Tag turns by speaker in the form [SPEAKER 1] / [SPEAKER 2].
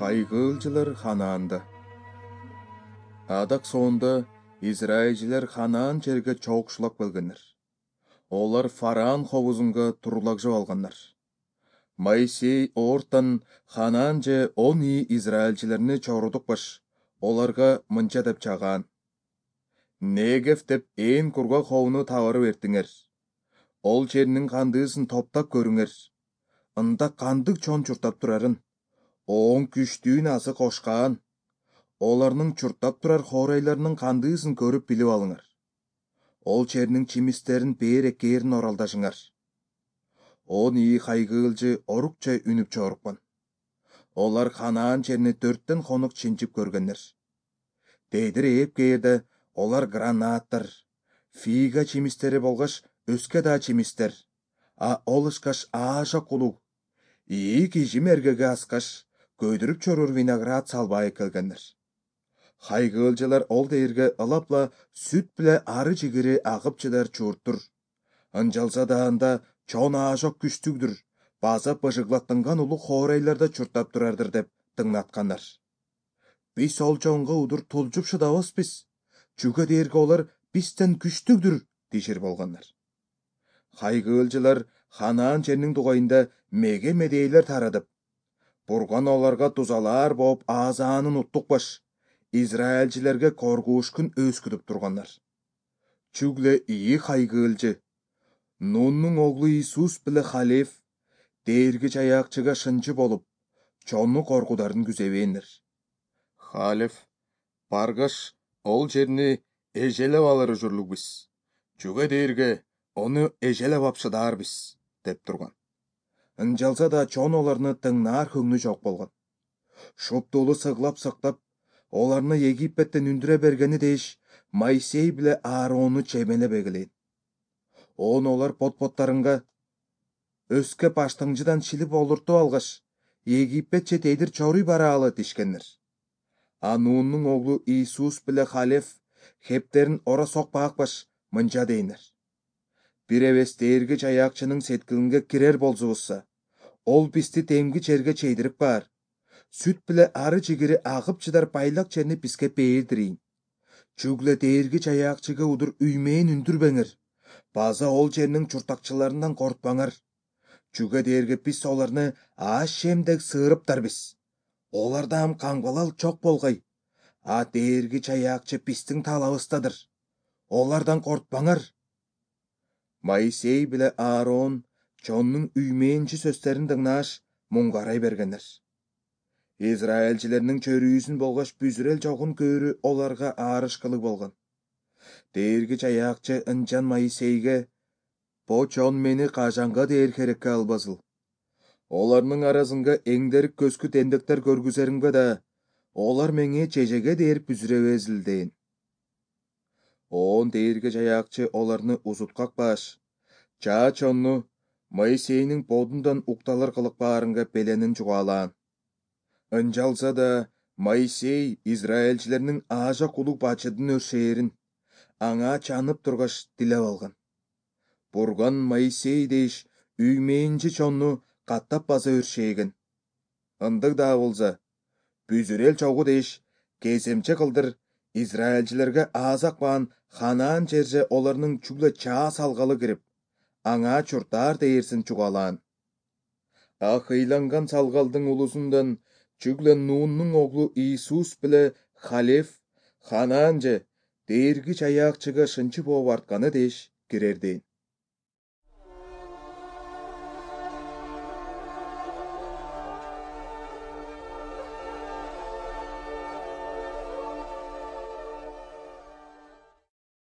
[SPEAKER 1] Хайгылжылар Ханаанда. Адак соонда Израильжилер Ханаан жерге чоокшулап келгеннер. Олар Фараон ховузунга турулагжып алганнар. Моисей ортан Ханаан же 10 Израильжилерни чорудукпаш, оларга мынча деп чагаан: Негев деп ээн кургак ховуну табары бертиңер. Ол жернин кандыысын топтап көрүңер. Ында кандык чон чуртап турарын, оң күчтүүн азы кошкаан. Оларнын чуртап турар хоорайларынын кандыысын көрүп билип алыңар. Ол жернин чимистерин бээреккээрин оралдашыңар. 10 хайгыылжы орукча үнүп чорукпан. Олар Ханаан жерни 4тен хонук чинчип көргөннер. Дедир ээп кээрде олар гранаттар, фига чимистери болгош өскө да чимистер, ол ышкаш аажак кулуг, ии кижим эргеге аскаш, көйдүрүп чорур виноград салбай келгеннер. Хайгыылжылар ол дээрге ылапла сүт биле ары жигири агып чыдар чурттур. Ынжалса да анда чон аажак күчтүгдүр, база быжыглаттанган улуг хоорайларда чуртап турардыр деп тыңнаткандар. Биз ол чонго удур тулжуп шыдабызбыз, чүгө дээрге олар бизден күчтүгдүр дишир болгоннор. Хайгыылжылар Ханаан жернин дугайында меге медейлер тарадып, Бурган оларга тузалаар болуп аазаанын уттукпаш, Израильжилерге коргуушкун өскүтүп тургандар. Чүгле ии хайгыылжы, Нуннун оглу Иисус биле Халев дээрги чаяакчыга шынчы болуп, чонну коркударын күзөбээннер. Халев баргаш ол жерни эжелеп алыр ужурлугбуз, чүгө дээрге ону эжелеп ап шыдаарбыз деп турган. Ынжалса да чон оларны тыңнаар көңнү жок болгон. Шуптуулу сыглап, оларны Египеттен үндүрө бергени дээш, Моисей биле Ааронну чемелеп эгелейин. Олар пот-поттарынга өскө баштаңжыдан шилип олуртуп алгаш, Египетче тедир чоруй бараалы дишкеннер. Нуннун оглу Иисус биле Халев хептерин ора сокпаакпаш, мынча дейнер: Бир эбес дээрги чаяакчынын сеткилинге кирер болзубузса, ол бизди темги жерге чейдирип баар. Сүт биле ары жигири агып чыдар байлак жерни бизге бээрдирейин. Чүгле дээрги чаяакчыга удур үймээн үндүрбеңер, база ол жернин чуртакчыларынан кортпаңар. Чүгө дээрге биз оларны аашемдек сыырыптарбыз. Олардан каңбалал чок болгай. Дээрги чаяакчы биздин талабыбыздадыр. Олардан кортпаңар. Моисей биле Аарон чоннун үймээнчи сөздөрүн тыңнааш, муңгарай бергенер. Израильжилердин чөрүүсүн болгош бүзүрел жогун көөрү оларга аарышкылык болгон. Дээрги чаяакчы ынчан Моисейге: Бо чон мени кажанга дээр керекке албасыл. Оларнын арасынга эңдерик көзгү тендектер көргүзериңбе да, олар меңе чежеге дээр бүзүребезил дейин. Дээрги чаяакчы оларны узуткакпаш, чаа чонну Моисейнин бодундан укталар кылык баарынга беленин жугаалаан. Ынжалса да Моисей Израильжилердин аажак улуг бачыдын өршээрин аңа чанып тургаш дилеп алган. Бурган Моисей деш үймээнчи чонну каттап база өршээген. Ындык да болса, бүзүрел чогу деш кеземче кылдыр Израильжилерге аазакпаан Ханаан жерже оларнын чүгле чаа салгалы кирип, аңа чуртаар дээрсин чугаалаан. Хыйланган салгалдын улусундан чүгле Нуннун оглу Иисус биле Халев Ханаан же дээрги чаяакчыга шынчы болуп артканы деш кирер дейин.